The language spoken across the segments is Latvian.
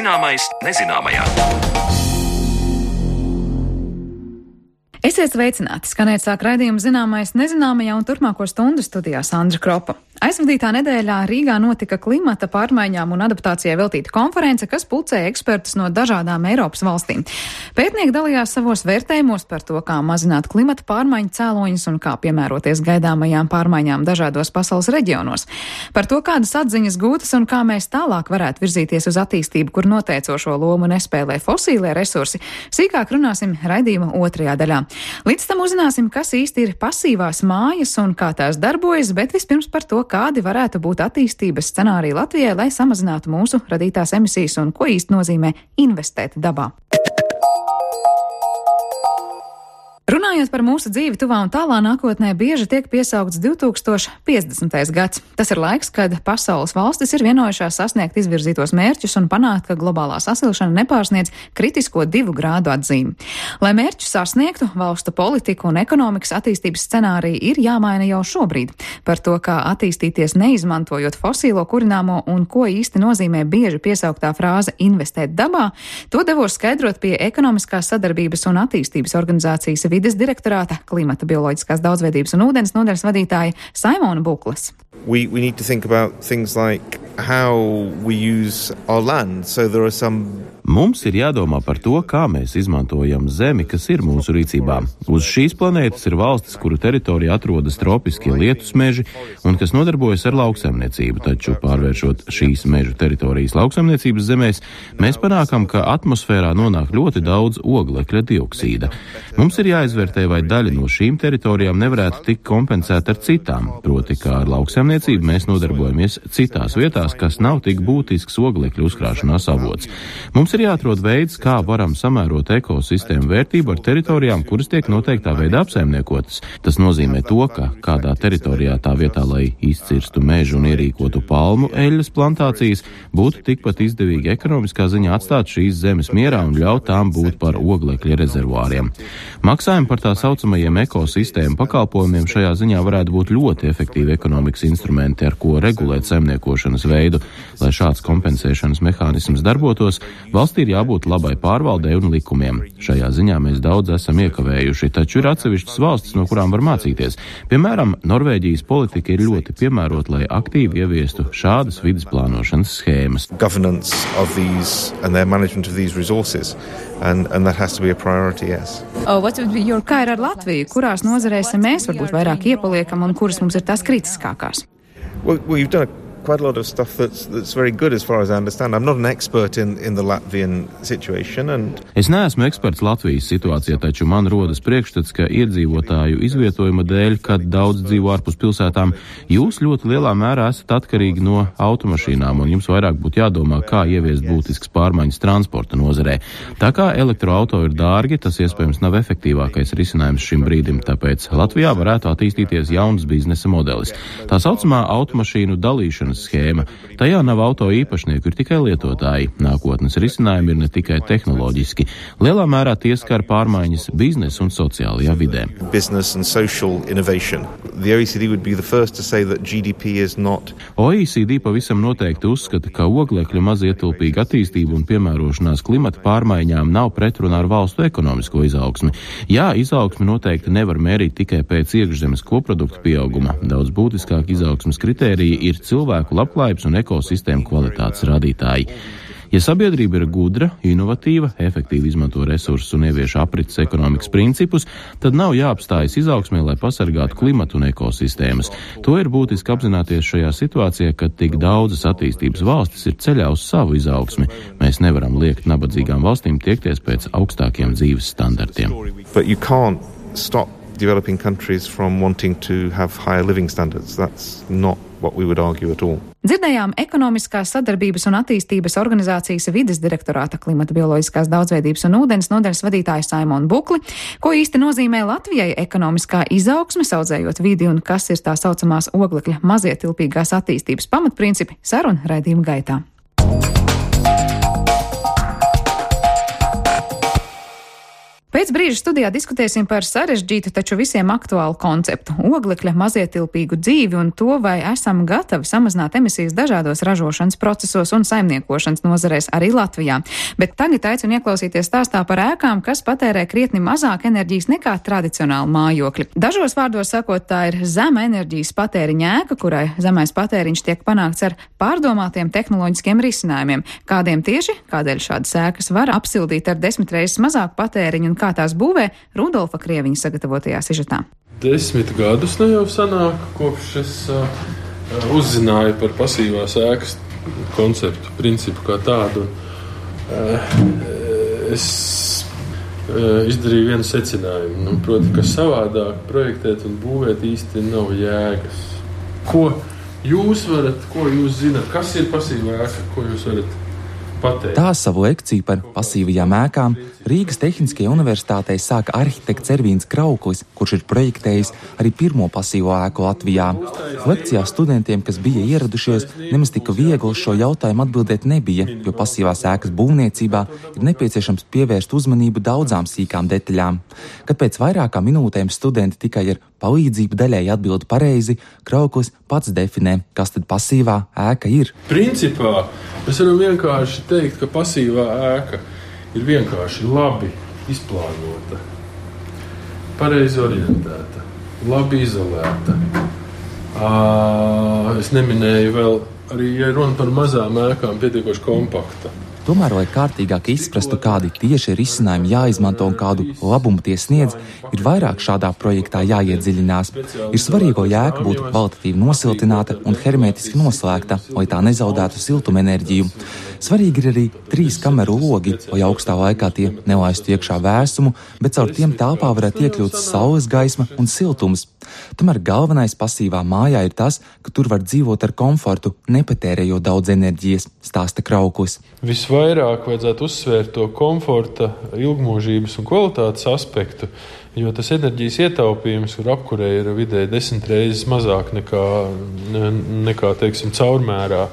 Zināmais nezināmajā. Esiet sveicināti! Skanēt sāk raidījumu Zināmais nezināmajā un turpmāko stundu studijā Sandra Kropa. Aizvadītā nedēļā Rīgā notika klimata pārmaiņām un adaptācijai veltīta konference, kas pulcēja ekspertus no dažādām Eiropas valstīm. Pētnieki dalījās savos vērtējumos par to, kā mazināt klimata pārmaiņu cēloņus un kā piemēroties gaidāmajām pārmaiņām dažādos pasaules reģionos. Par to, kādas atziņas gūtas un kā mēs tālāk varētu virzīties uz attīstību, kur noteicošo lomu nespēlē fosīlie resursi, sīkāk runāsim raidījuma otrajā daļā. Līdz tam uzzināsim, kas īsti ir pasīvās mājas un kā tās darbojas, bet vispirms par to, kādi varētu būt attīstības scenāriji Latvijai, lai samazinātu mūsu radītās emisijas un ko īsti nozīmē investēt dabā. Runājot par mūsu dzīvi tuvā un tālā nākotnē, bieži tiek piesaukts 2050. gads. Tas ir laiks, kad pasaules valstis ir vienojušās sasniegt izvirzītos mērķus un panākt, ka globālā sasilšana nepārsniedz kritisko 2 grādu atzīmi. Lai mērķus sasniegtu, valstu politika un ekonomikas attīstības scenāriji ir jāmaina jau šobrīd. Par to, kā attīstīties neizmantojot fosīlo kurināmo un ko īsti nozīmē bieži piesauktā frāze investēt dabā, to devos skaidrot pie Ekonomiskās sadarbības un attīstības organizācijas vides direktorāta klimata bioloģiskās daudzveidības un ūdens nodaļas vadītāja Saimona Buklas. We need to think about things like how we use our land. So there are some Mums ir jādomā par to, kā mēs izmantojam zemi, kas ir mūsu rīcībā. Uz šīs planētas ir valstis, kuru teritorijā atrodas tropiskie lietus meži un kas nodarbojas ar lauksaimniecību, taču pārvēršot šīs mežu teritorijas lauksaimniecības zemēs, mēs panākam, ka atmosfērā nonāk ļoti daudz oglekļa dioksīda. Mums ir jāizvērtē, vai daļa no šīm teritorijām nevarētu tikt kompensēta ar citām, proti, kā ar lauksaimniecību mēs nodarbojamies citās vietās, kas nav tik būtisks oglekļa uzkrāšanās avots. Mums ir jāatrod veids, kā varam samērot ekosistēmu vērtību ar teritorijām, kuras tiek noteiktā veidā apsaimniekotas. Tas nozīmē to, ka kādā teritorijā tā vietā, lai izcirstu mežu un ierīkotu palmu eļļas plantācijas, būtu tikpat izdevīgi ekonomiskā ziņā atstāt šīs zemes mierā un ļaut tām būt par oglekļa rezervuāriem. Maksājumi par tā saucamajiem ekosistēmu pakalpojumiem šajā ziņā varētu būt ļoti efektīvi ekonomikas instrumenti, ar ko regulēt saimniekošanas veidu. Lai šāds kompensēšanas mehānisms darbotos, valstī ir jābūt labai pārvaldei un likumiem. Šajā ziņā mēs daudz esam iekavējuši, taču ir atsevišķas valstis, no kurām var mācīties. Piemēram, Norvēģijas politika ir ļoti piemērota, lai aktīvi ieviestu šādas vides plānošanas schēmas. Governance of these and their management of these resources, and that has to be a priority, yes. Kā ir ar Latviju? Kurās nozarēs mēs varbūt vairāk iepaliekam un kuras mums ir tās kritiskākās? Well, you've done quite a lot of stuff that's very good as far as I understand. I'm not an expert in the Latvian situation. Es neesmu eksperts Latvijas situācijā, taču man rodas priekšstats, ka iedzīvotāju izvietojuma dēļ, kad daudz dzīvo ārpus pilsētām, jūs ļoti lielā mērā esat atkarīgi no automašīnām, un jums vairāk būtu jādomā, kā ieviest būtiskas pārmaiņas transporta nozarē. Tā kā elektroauto ir dārgi, tas iespējams nav efektīvākais risinājums šim brīdim, tāpēc Latvijā varētu attīstīties jauns biznesa modelis. Tā saucamā automašīnu dalīšana schēma. Tajā nav auto īpašnieku, ir tikai lietotāji. Nākotnes risinājumi ir ne tikai tehnoloģiski. Lielā mērā tie skar pārmaiņas biznesa un sociālajā vidē. Business and social innovation. The OECD would be the first to say that GDP is not. OECD pavisam noteikti uzskata, ka oglekļa mazietilpīga attīstība un piemērošanās klimata pārmaiņām nav pretrunā ar valstu ekonomisko izaugsmi. Jā, izaugsmi noteikti nevar mērīt tikai pēc iekšzemes koprodukta pieauguma. Daudz būtiskāk izaugsmes kritērija ir cilvēku labklājības un ekosistēmu kvalitātes rādītāji. Ja sabiedrība ir gudra, inovatīva, efektīvi izmanto resursus un ievieš aprits ekonomikas principus, tad nav jāapstājas izaugsmē, lai pasargātu klimatu un ekosistēmas. To ir būtiski apzināties šajā situācijā, kad tik daudzas attīstības valstis ir ceļā uz savu izaugsmi. Mēs nevaram liekt nabadzīgām valstīm tiekties pēc augstākiem dzīves standartiem. But you can't stop developing countries from wanting to have higher living standards. That's not what we would argue at all. Dzirdējām Ekonomiskās sadarbības un attīstības organizācijas vides direktorāta klimata bioloģiskās daudzveidības un ūdens nodaļas vadītāju Saimonu Bukli, ko īsti nozīmē Latvijai ekonomiskā izaugsme, audzējot vidi un kas ir tā saucamās oglekļa mazietilpīgās attīstības pamatprincipi, saruna raidījuma gaitā. Pēc brīža studijā diskutēsim par sarežģītu, taču visiem aktuālu konceptu - oglekļa mazietilpīgu dzīvi un to, vai esam gatavi samazināt emisijas dažādos ražošanas procesos un saimniekošanas nozarēs arī Latvijā. Bet tagad aicinu ieklausīties stāstā par ēkām, kas patērē krietni mazāk enerģijas nekā tradicionāli mājokļi. Dažos vārdos sakot, tā ir zema enerģijas patēriņa ēka, kurai zemais patēriņš tiek panākts ar pārdomātiem tehnoloģiskiem risinājumiem. Kādiem tieši, kādēļ šādas ēkas var apsildīt ar 10 reizes mazāku patēriņu un kā tās būvē, Rudolfa Krieviņa sagatavotajā sižetā. 10 gadus ne jau sanāk, kopš es uzzināju par pasīvās ēkas konceptu, principu kā tādu. Es izdarīju vienu secinājumu, proti, ka savādāk projektēt un būvēt īsti nav jēgas. Ko jūs zināt, kas ir pasīvā ēka, ko jūs varat pateikt? Tā savu lekciju par pasīvajām ēkām Rīgas Tehniskajā universitātē sāka arhitekts Ervīns Krauklis, kurš ir projektējis arī pirmo pasīvo ēku Latvijā. Lekcijā studentiem, kas bija ieradušies, nemaz tik viegli uz šo jautājumu atbildēt nebija, jo pasīvās ēkas būvniecībā ir nepieciešams pievērst uzmanību daudzām sīkām detaļām. Kad pēc vairākām minūtēm studenti tikai ar palīdzību daļēji atbild pareizi, Krauklis pats definē, kas tad pasīvā ēka ir. Principā mēs varam vienkārši teikt, ka pasīvā ēka ir vienkārši labi izplānota, pareizi orientēta, labi izolēta. Es neminēju vēl arī, ja runa par mazām ēkām, pietiekoši kompakta. Tomēr, lai kārtīgāk izprastu, kādi tieši risinājumi jāizmanto un kādu labumu tie sniedz, ir vairāk šādā projektā jāiedziļinās. Ir svarīgo ēka būt kvalitatīvi nosiltināta un hermētiski noslēgta, lai tā nezaudētu siltumenerģiju. Svarīgi ir arī 3 kameru logi, lai augstā laikā tie nelaistu iekšā vēsumu, bet caur tiem telpā varētu iekļūt saules gaisma un siltums. Tomēr galvenais pasīvā mājā ir tas, ka tur var dzīvot ar komfortu, nepatērējot daudz enerģijas, stāsta Krauklis. Visvairāk vajadzētu uzsvērt to komforta, ilgmūžības un kvalitātes aspektu, jo tas enerģijas ietaupījums, kur apkurē ir vidēji 10 reizes mazāk nekā teiksim, caurmērā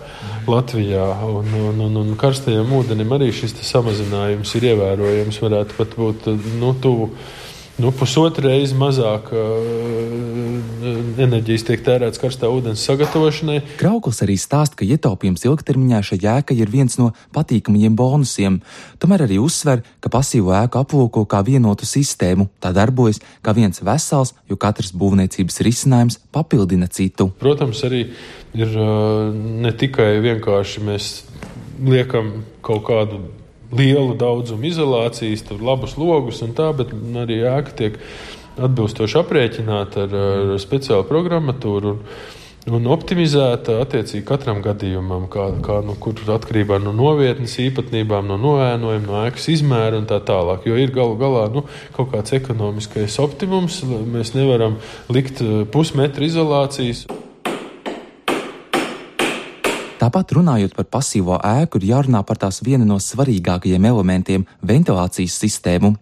Latvijā. Un karstajam ūdenim arī šis samazinājums ir ievērojams, varētu pat būt tuvu. Pusotru reizi mazāk enerģijas tiek tērēts karstā ūdens sagatavošanai. Krauklis arī stāsta, ka ietaupījums ilgtermiņā šai ēkai ir viens no patīkamajiem bonusiem. Tomēr arī uzsver, ka pasīvo ēku aplūko kā vienotu sistēmu. Tā darbojas kā viens vesels, jo katrs būvniecības risinājums papildina citu. Protams, arī ir ne tikai vienkārši mēs liekam kaut kādu lielu daudzumu izolācijas, tur labus logus un tā, bet arī ēka tiek atbilstoši aprēķināta ar speciālu programmatūru un optimizēta attiecīgi katram gadījumam, kur atkarībā no novietnes īpatnībām, no noēnojuma, no ēkas izmēra un tā tālāk. Jo ir galu galā kaut kāds ekonomiskais optimums, mēs nevaram likt pusmetru izolācijas. Tāpat runājot par pasīvo ēku, ir jārunā par tās vienu no svarīgākajiem elementiem - ventilācijas sistēmu.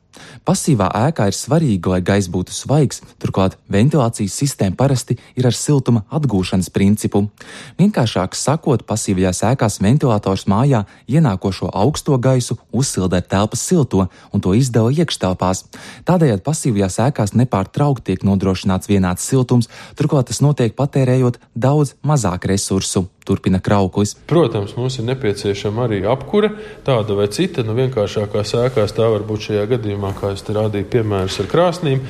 Pasīvā ēkā ir svarīgi, lai gaiss būtu svaigs, turklāt ventilācijas sistēma parasti ir ar siltuma atgūšanas principu. Vienkāršāk sakot, pasīvajās ēkās ventilators mājā ienākošo augsto gaisu uzsilda ar telpas silto un to izdala iekštelpās. Tādējādi pasīvajās ēkās nepārtraukti tiek nodrošināts vienāds siltums, turklāt tas notiek patērējot daudz mazāk resursu. Turpina Krauklis. Protams, mums ir nepieciešama arī apkure, tāda vai cita. Vienkāršākās ēkās tā var būt šajā gadījumā, kā es te rādīju piemērus ar krāsnīm.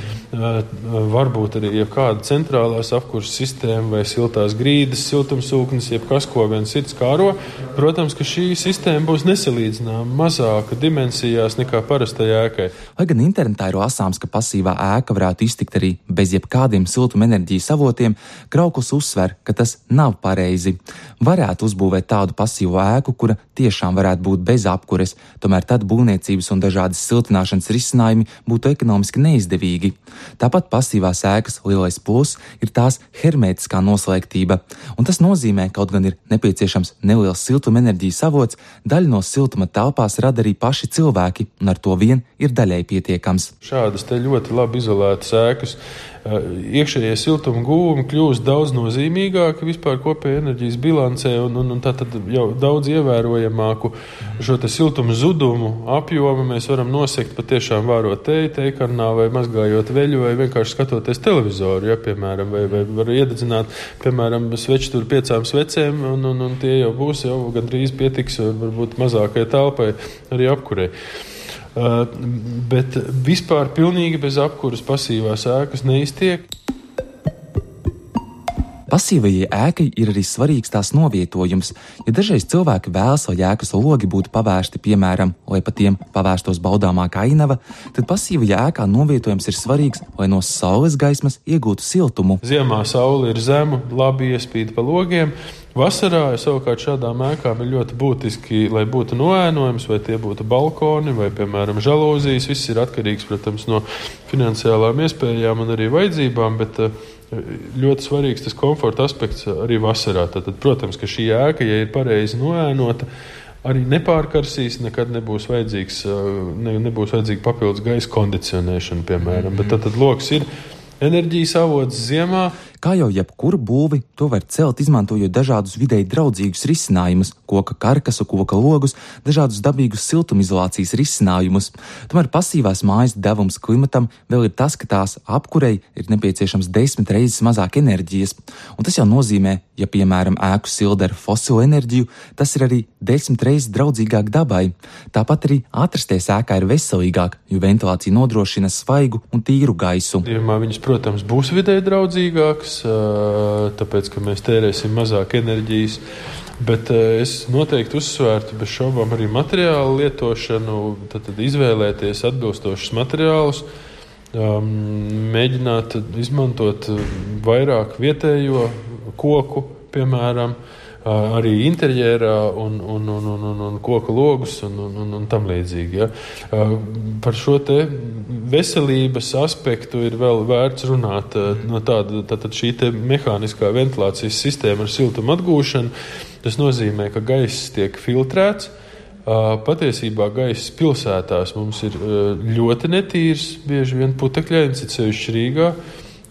Varbūt arī jebkāda centrālās apkuras sistēma vai siltās grīdas, siltumsūknis, jebkas, ko viens cits kāro. Protams, ka šī sistēma būs nesalīdzināma mazāka dimensijās nekā parastai ēkai. Lai gan internetā ir lasāms, ka pasīvā ēka varētu iztikt arī bez jebkādiem siltumenerģijas avotiem, Krauklis uzsver, ka tas nav pareizi. Varētu uzbūvēt tādu pasīvo ēku, kura tiešām varētu būt bez apkures, tomēr tad būvniecības un dažādas siltināšanas risinājumi būtu ekonomiski neizdevīgi. Tāpat pasīvās ēkas lielais plus ir tās hermētiskā noslēgtība, un tas nozīmē, kaut gan ir nepieciešams neliels siltumenerģijas avots, daļu no siltuma telpās rada arī paši cilvēki, un ar to vien ir daļēji pietiekams. Šādas te ļoti labi izolētas ēkas iekšējie siltuma guvumi kļūst daudz nozīmīgāki vispār kopējā enerģijas bilancē un tātad jau daudz ievērojamāku šo te siltuma zudumu apjomu mēs varam nosekt patiešām vārot tejkarnā vai mazgājot veļu vai vienkārši skatoties televizoru, ja, piemēram, vai var iededzināt, piemēram, svečturu 5 svecēm un tie jau būs, jau gandrīz pietiks varbūt mazākai telpai arī apkurei. Bet vispār pilnīgi bez apkuras pasīvās ēkas neiztiek. Pasīvajai ēkai ir arī svarīgs tās novietojums, ja dažreiz cilvēki vēlas, lai ēkas logi būtu pavērsti, piemēram, lai pa tiem pavērstos baudāmāka ainava, tad pasīvajā ēkā novietojums ir svarīgs, lai no saules gaismas iegūtu siltumu. Ziemā saule ir zemu, labi iespīd pa logiem. Vasarā savukārt šādām ēkām ir ļoti būtiski, lai būtu noēnojums, vai tie būtu balkoni, vai, piemēram, žalūzijas. Viss ir atkarīgs, protams, no finansiālām iespējām un arī vajadzībām, bet ļoti svarīgs tas komforta aspekts arī vasarā. Tātad, protams, ka šī ēka, ja ir pareizi noēnota, arī nepārkarsīs, nekad nebūs vajadzīga papildus gaisa kondicionēšana, piemēram. Bet tātad loks ir enerģijas avots ziemā. Kā jau jebkuru būvi, to var celt, izmantojot dažādus videi draudzīgus risinājumus, koka karkasu, koka logus, dažādus dabīgus siltumizolācijas risinājumus. Tomēr pasīvās mājas devums klimatam vēl ir tas, ka tās apkurei ir nepieciešams 10 reizes mazāk enerģijas. Un tas jau nozīmē, ja, piemēram, ēku silda ar fosilu enerģiju, tas ir arī 10 reizes draudzīgāk dabai. Tāpat arī atrasties ēkā ir veselīgāk, jo ventilācija nodrošina svaigu un tīru gaisu. Viņas, protams, būs videi draudzīgākas, tāpēc, ka mēs tērēsim mazāk enerģijas, bet es noteikti uzsvērtu bez šaubām arī materiālu lietošanu, tad izvēlēties atbilstošus materiālus, mēģināt izmantot vairāk vietējo koku, piemēram, arī interjerā un koku logus un tam līdzīgi. Ja. Par šo te veselības aspektu ir vēl vērts runāt. No tātad šī te mehāniskā ventilācijas sistēma ar siltumu atgūšanu, tas nozīmē, ka gaiss tiek filtrēts. Patiesībā gaiss pilsētās mums ir ļoti netīrs, bieži vien putekļains, it sevišķi Rīgā.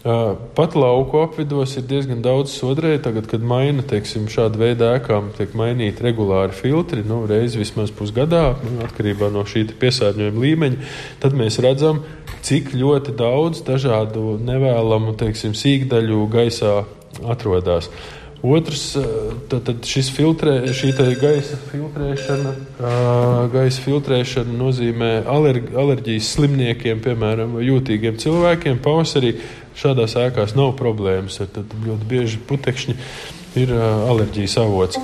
Pat lauku apvidos ir diezgan daudz sodrēju. Tagad, kad maina, teiksim, šāda veida ēkām tiek mainīti regulāri filtri, reizi vismaz pusgadā, atkarībā no šī piesārņojuma līmeņa, tad mēs redzam, cik ļoti daudz dažādu nevēlamu, teiksim, sīkdaļu gaisā atrodas. Otrs, tad šī gaisa filtrēšana nozīmē alerģijas slimniekiem, piemēram, vai jūtīgiem cilvēkiem. Pavasarī šādās ēkās nav problēmas, tad ļoti bieži putekšņi ir alerģijas avots.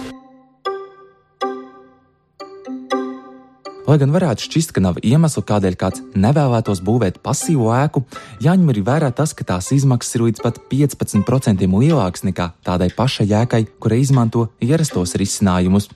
Lai gan varētu šķist, ka nav iemeslu, kādēļ kāds nevēlētos būvēt pasīvo ēku, jāņem arī vērā tas, ka tās izmaksas ir līdz pat 15% lielākas nekā tādai pašai ēkai, kurai izmanto ierastos risinājumus.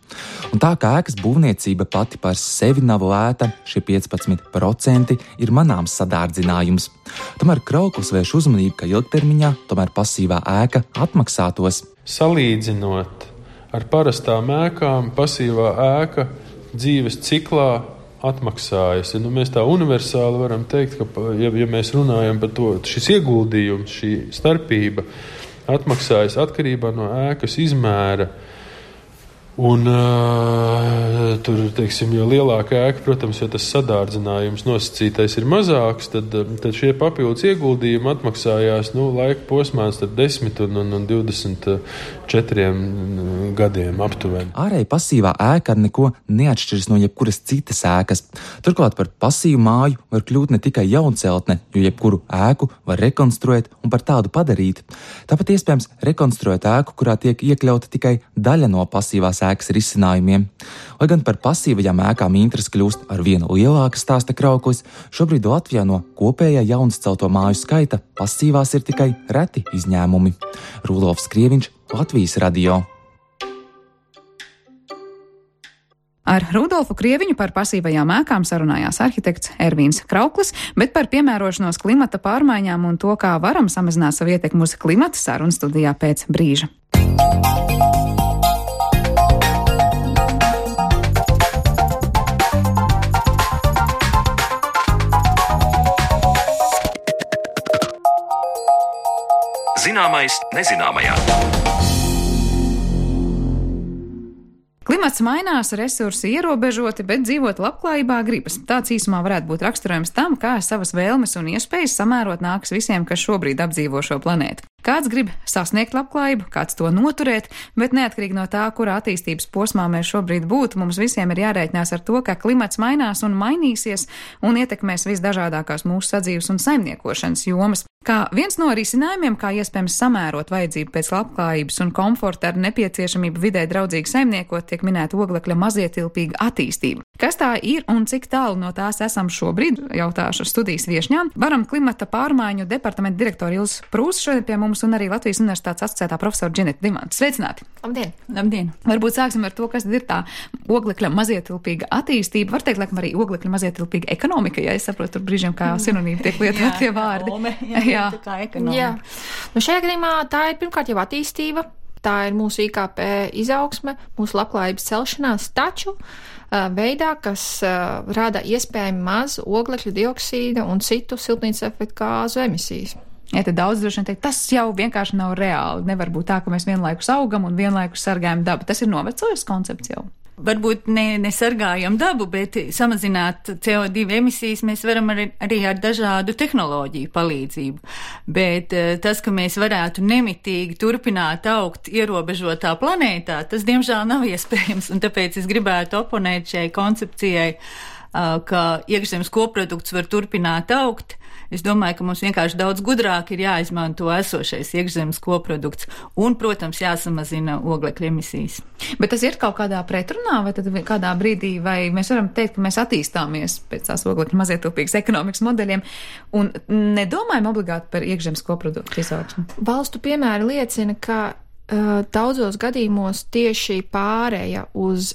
Un tā kā ēkas būvniecība pati par sevi nav lēta, šie 15% ir manāms sadārdzinājums. Tomēr Krauklis vērš uzmanību, ka ilgtermiņā tomēr pasīvā ēka atmaksātos. Salīdzinot ar parastām ēkām, pasīvā ēka dzīves ciklā atmaksājas. Mēs tā universāli varam teikt, ka, ja mēs runājam par to, šis ieguldījums, šī starpība atmaksājas atkarībā no ēkas izmēra. Un tur, teiksim, jo lielāka ēka, protams, jo tas sadārdzinājums nosacītais ir mazāks, tad šie papildus ieguldījumi atmaksājās laika posmā starp 10 un 24 gadiem aptuveni. Ārēji pasīvā ēka ar neko neatšķiras no jebkuras citas ēkas. Turklāt par pasīvu māju var kļūt ne tikai jaunceltne, jo jebkuru ēku var rekonstruēt un par tādu padarīt. Tāpat iespējams rekonstruēt ēku, kurā tiek iekļauta tikai daļa no pasīvās ēkas risinājumiem. Lai gan par pasīvajām ēkām interese kļūst ar vienu lielāka, stāsta Krauklis, šobrīd Latvijā no kopējā jaunscelto māju skaita pasīvās ir tikai reti izņēmumi. Rudolfs Krieviņš, Latvijas radio. Ar Rudolfu Krieviņu par pasīvajām ēkām sarunājās arhitekts Ervīns Krauklis, bet par piemērošanos klimata pārmaiņām un to, kā varam samazināt savu ietekmi uz klimata, sarunu studijā pēc brīža. Zināmais nezināmajā. Klimats mainās, resursi ierobežoti, bet dzīvot labklājībā gribas. Tāds īsumā varētu būt raksturojums tam, kā savas vēlmes un iespējas samērot nākas visiem, kas šobrīd apdzīvo šo planētu. Kāds grib sasniegt labklājību, kāds to noturēt, bet neatkarīgi no tā, kurā attīstības posmā mēs šobrīd būtu, mums visiem ir jārēķinās ar to, ka klimats mainās un mainīsies un ietekmēs visdažādākās mūsu sadzīves un saimniekošanas jomas. Kā viens no risinājumiem, kā iespējams samērot vajadzību pēc labklājības un komforta ar nepieciešamību vidē draudzīgi saimniekot, tiek minēta oglekļa mazietilpīga attīstība. Kas tā ir un cik tālu no tās esam šobrīd, jautāšu studijas viešņām. Varam klimata pārmaiņu departamenta direktora Ilza Prūsa šodien pie mums un arī Latvijas Universitātes asociētā profesora Dženeta Dimanta. Sveicināti! Labdien! Labdien! Varbūt sāksim ar to, kas ir tā oglekļa mazietilpīga attīstība. Var teikt, laikam arī oglekļa mazietilpīga ekonomika, ja es saprotu, tur brīžiem kā sinonīmi tiek lietot tie vārdi. Jā. Nu, šajā gadījumā tā ir pirmkārt jau attīstība, tā ir mūsu IKP izaugsme, mūsu labklājības celšanās, taču veidā, kas rada iespējami maz oglekļa dioksīda un citu siltumnīcas efekta gāzu emisijas. Ja tad daudz droši vien teikt, tas jau vienkārši nav reāli. Nevar būt tā, ka mēs vienlaikus augam un vienlaikus sargājam dabu. Tas ir novecojis koncepts jau. Varbūt nesargājam dabu, bet samazināt CO2 emisijas mēs varam arī ar dažādu tehnoloģiju palīdzību. Bet tas, ka mēs varētu nemitīgi turpināt augt ierobežotā planētā, tas diemžēl nav iespējams, un tāpēc es gribētu oponēt šai koncepcijai, ka iekšzemes koprodukts var turpināt augt. Es domāju, ka mums vienkārši daudz gudrāk ir jāizmanto esošais iekšzemes koprodukts un, protams, jāsamazina oglekļa emisijas. Bet tas ir kaut kādā pretrunā, vai tad kādā brīdī, vai mēs varam teikt, ka mēs attīstāmies pēc tās oglekļa mazietilpīgas ekonomikas modeļiem un nedomājam obligāti par iekšzemes koproduktu izaugsmu? Valstu piemēri liecina, ka daudzos gadījumos tieši pārēja uz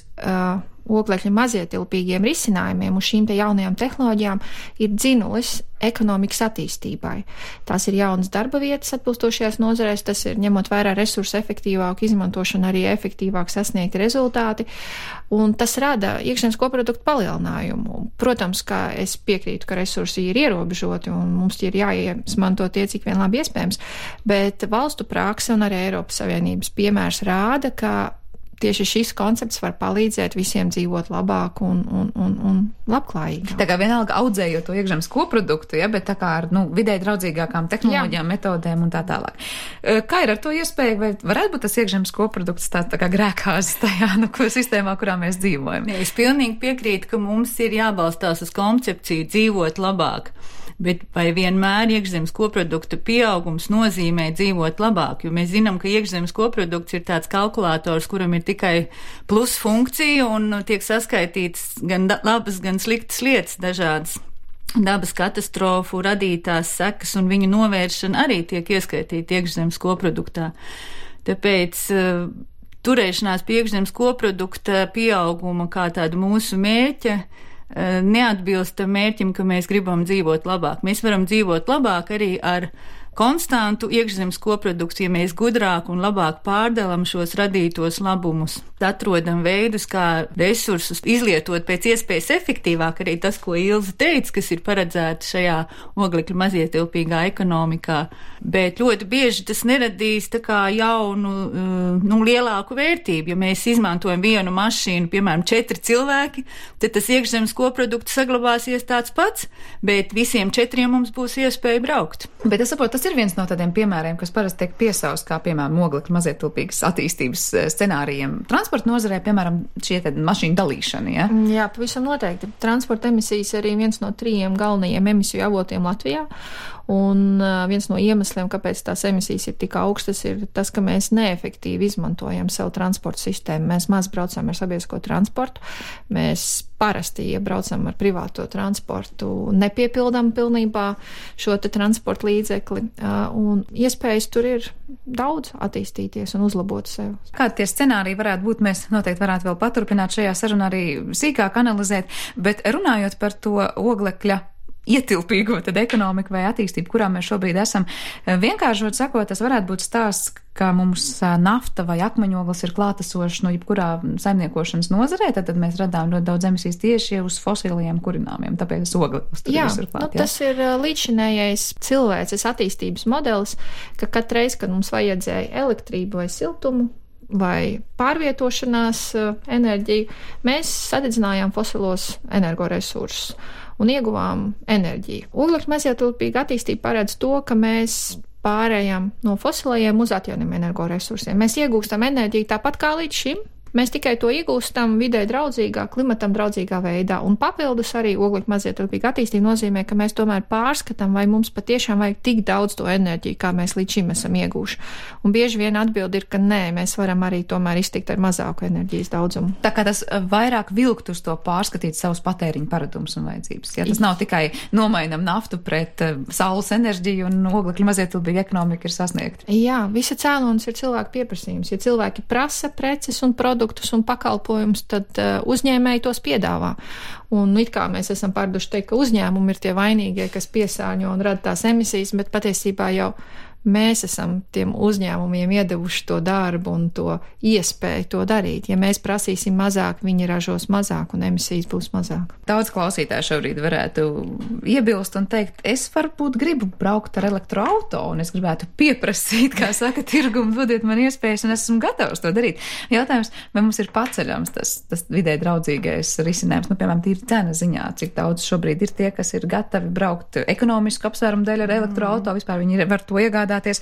oglekļa mazietilpīgiem risinājumiem un šīm te jaunajām tehnoloģijām ir dzinulis ekonomikas attīstībai. Tās ir jaunas darba vietas atbilstošajās nozarēs, tas ir ņemot vērā resursu efektīvāku izmantošanu, arī efektīvāk sasniegti rezultāti, un tas rada iekšzemes koproduktu palielinājumu. Protams, ka es piekrītu, ka resursi ir ierobežoti un mums ir jāizmanto tie, cik vien labi iespējams, bet valstu prakse un arī Eiropas Savienības piemērs rāda, ka tieši šis koncepts var palīdzēt visiem dzīvot labāk un labklājīgāk. Tā kā vienalga audzējot to iekšzemes koproduktu, ja, bet tā kā ar vidē draudzīgākām tehnoloģijām, metodēm un tā tālāk. Kā ir ar to iespēju, vai varētu būt tas iekšzemes koprodukts tā kā grēkāzes tajā sistēmā, kurā mēs dzīvojam? Es pilnīgi piekrītu, ka mums ir jābalstās uz koncepciju dzīvot labāk. Bet vai vienmēr iekšzemes koprodukta pieaugums nozīmē dzīvot labāk? Jo mēs zinām, ka iekšzemes koprodukts ir tāds kalkulators, kuram ir tikai plus funkcija un tiek saskaitīts gan labas, gan sliktas lietas dažādas. Dabas katastrofu radītās sekas un viņu novēršana arī tiek ieskaitīta iekšzemes koproduktā. Tāpēc turēšanās pie iekšzemes koprodukta pieauguma kā tādu mūsu mērķa neatbilst mērķim, ka mēs gribam dzīvot labāk. Mēs varam dzīvot labāk arī ar konstantu iekšzemes koproduktu, ja mēs gudrāk un labāk pārdalam šos radītos labumus. Atrodam veidus, kā resursus izlietot pēc iespējas efektīvāk, arī tas, ko Ilza teica, kas ir paredzēts šajā oglekļa mazietilpīgā ekonomikā. Bet ļoti bieži tas neradīs tā kā jaunu, lielāku vērtību. Ja mēs izmantojam vienu mašīnu, piemēram, 4 cilvēki, tad tas iekšzemes koprodukts saglabāsies tāds pats, bet visiem 4 mums būs iespēja braukt. Bet es saprotu, tas ir viens no tādiem piemēriem, kas parasti tiek piesaust kā, piemēram, oglekļa mazietilpīgas attīstības scenārijiem. Transporta nozarē, piemēram, šie mašīnu dalīšana, ja? Jā, pavisam noteikti. Transporta emisijas arī viens no 3 galvenajiem emisiju avotiem Latvijā. Un viens no iemesliem, kāpēc tās emisijas ir tik augstas, ir tas, ka mēs neefektīvi izmantojam savu transporta sistēmu. Mēs maz braucam ar sabiedrisko transportu, mēs parasti, ja braucam ar privāto transportu, nepiepildam pilnībā šo te transporta līdzekli, un iespējas tur ir daudz attīstīties un uzlabot sev. Kādi tie scenāriji varētu būt, mēs noteikti varētu vēl paturpināt šajā sarunā arī sīkāk analizēt, bet runājot par to oglekļa ietilpīgo tad ekonomiku vai attīstību, kurā mēs šobrīd esam. Vienkāršot sakot, tas varētu būt stāsts, ka mums nafta vai akmeņoglis ir klātesošs no jebkurā saimniekošanas nozarē, tad mēs radām ļoti daudz emisijas tieši uz fosiliem kurināmiem, tāpēc ogles tur visur klāt. Tas ir līdzinējais cilvēces attīstības modelis, ka katreiz, kad mums vajadzēja elektrību vai siltumu, vai pārvietošanās enerģiju, mēs sadedzinājām fosilos energoresursus un ieguvām enerģiju. Oglekļa mazietilpīga attīstība paredz to, ka mēs pārējām no fosilajiem uz atjaunīgiem energoresursiem. Mēs iegūstam enerģiju tāpat kā līdz šim. Mēs tikai to iegūstam vidē draudzīgā, klimatam draudzīgā veidā. Un papildus arī oglekļa mazietilpīga attīstība nozīmē, ka mēs tomēr pārskatām, vai mums patiešām vajag tik daudz to enerģiju, kā mēs līdz šim esam ieguvuši. Un bieži vien atbildi ir, ka nē, mēs varam arī tomēr iztikt ar mazāku enerģijas daudzumu. Tā kā tas vairāk vilkt uz to pārskatīt savus patēriņu paradumus un vajadzības. Ja tas nav tikai nomainam naftu pret saules enerģiju un oglekļa mazietilpīga ekonomika ir sasniegta. Jā, visa cēlonis ir cilvēku pieprasījums. Ja cilvēki prasa preces un produktus un pakalpojumus, tad uzņēmēji tos piedāvā. Un it kā mēs esam pārduši teikt, ka uzņēmumi ir tie vainīgie, kas piesārņo un rada tās emisijas, bet patiesībā jau mēs esam tiem uzņēmumiem iedevuši to darbu un to iespēju to darīt. Ja mēs prasīsim mazāk, viņi ražos mazāk un emisijas būs mazāk. Daudz klausītāju šobrīd varētu iebilst un teikt, es varbūt gribu braukt ar elektroauto un es gribētu pieprasīt, kā saka, tirgumu, dodiet man iespējas un esmu gatavs to darīt. Jautājums, vai mums ir paceļams tas vidē draudzīgais risinājums, piemēram, tīri cena ziņā, cik daudz šobrīd ir tie, kas ir gatavi braukt ekonomisku apsvērumu dēļ ar elektroauto, vispār viņi var to iegādāties,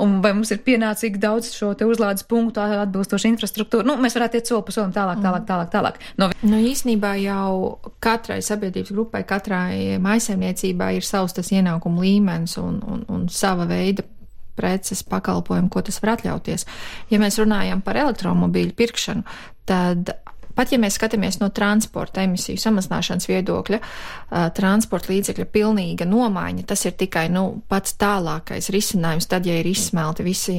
un vai mums ir pienācīgi daudz šo te uzlādes punktu atbilstoši infrastruktūru. Mēs varētu iet soli pa solim tālāk. Īsnībā jau katrai sabiedrības grupai, katrai mājsaimniecībai ir savs tas ienākumu līmenis un sava veida preces pakalpojumu, ko tas var atļauties. Ja mēs runājam par elektromobīļu pirkšanu, tad pat ja mēs skatāmies no transporta emisiju samazināšanas viedokļa, transporta līdzekļa pilnīga nomaiņa, tas ir tikai pats tālākais risinājums, tad, ja ir izsmelti visi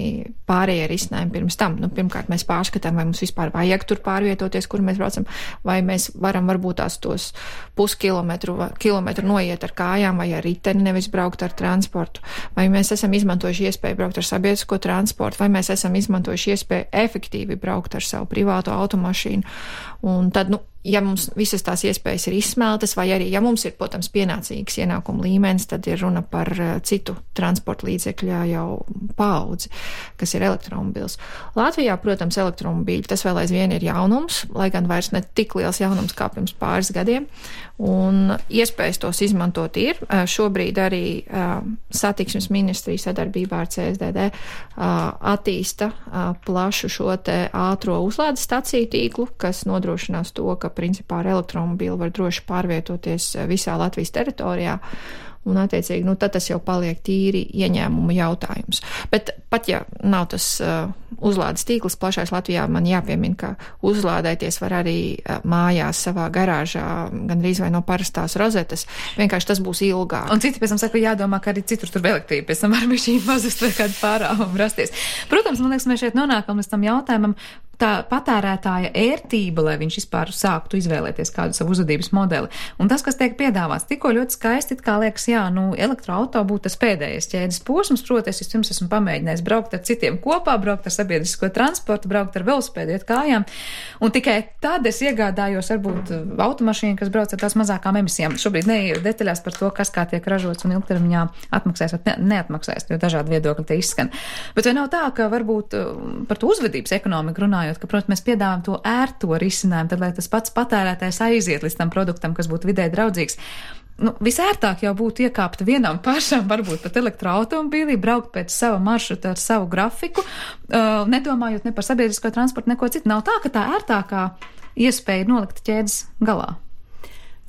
pārējie risinājumi pirms tam. Pirmkārt, mēs pārskatām, vai mums vispār vajag tur pārvietoties, kur mēs braucam, vai mēs varam varbūt tos kilometru noiet ar kājām vai ar riteni, nevis braukt ar transportu, vai mēs esam izmantojuši iespēju braukt ar sabiedrisko transportu, vai mēs esam izmantojuši iespēju efektīvi braukt ar savu privāto automašīnu. Un tad, ja mums visas tās iespējas ir izsmeltas, vai arī, ja mums ir, protams, pienācīgs ienākuma līmenis, tad ir runa par citu transporta līdzekļā jau paudzi, kas ir elektromobīls. Latvijā, protams, elektromobīļi, tas vēl aizvien ir jaunums, lai gan vairs ne tik liels jaunums kā pirms pāris gadiem, un iespējas tos izmantot ir. Šobrīd arī satiksmes ministrija sadarbībā ar CSDD attīsta plašu šo te ātro uzlādes staciju tīklu, kas nodrošinās to, ka principā ar elektromobīlu var droši pārvietoties visā Latvijas teritorijā. Un, attiecīgi, tad tas jau paliek tīri ieņēmumu jautājums. Bet pat ja nav tas uzlādes tīkls plašais Latvijā, man jāpiemina, ka uzlādēties var arī mājās savā garāžā, gandrīz vai no parastās rozetes. Vienkārši tas būs ilgāk. Un citi pēc tam saka, jādomā, ka arī citur tur elektrība pēc tam var bišķi mazust vai kādu pārāvumu rasties. Protams, man liekas, mēs šeit nonākam līdz tam jautājumam, tā patērētāja ērtība, lai viņš vispār sāktu izvēlēties kādu savu uzvedības modeli. Un tas, kas tiek piedāvāts, tikko ļoti skaisti, kā liekas, elektroauto būtu tas pēdējais ķēdes posms, proti, es pirms esmu pamēģinājis braukt ar citiem kopā, braukt ar sabiedrisko transportu, braukt ar velosipēdu, iet kājām, un tikai tad es iegādājos varbūt automašīnu, kas brauc ar tās mazākām emisijām. Šobrīd neieju detaļās par to, kas kā tiek ražots un ilgtermiņā atmaksās vai neatmaksās, jo dažādi viedokļi te izskan. Bet vai nav tā, ka varbūt par to uzvedības ekonomiku runājot, ka, protams, mēs piedāvājam to ērto risinājumu, tad, lai tas pats patērētājs aiziet līdz tam produktam, kas būtu vidē draudzīgs. Visērtāk jau būtu iekāpt vienam pašam, varbūt pat elektroautomobīlī, braukt pēc sava maršruta ar savu grafiku, nedomājot ne par sabiedrisko transportu, neko citu. Nav tā, ka tā ērtākā iespēja ir nolikt ķēdes galā.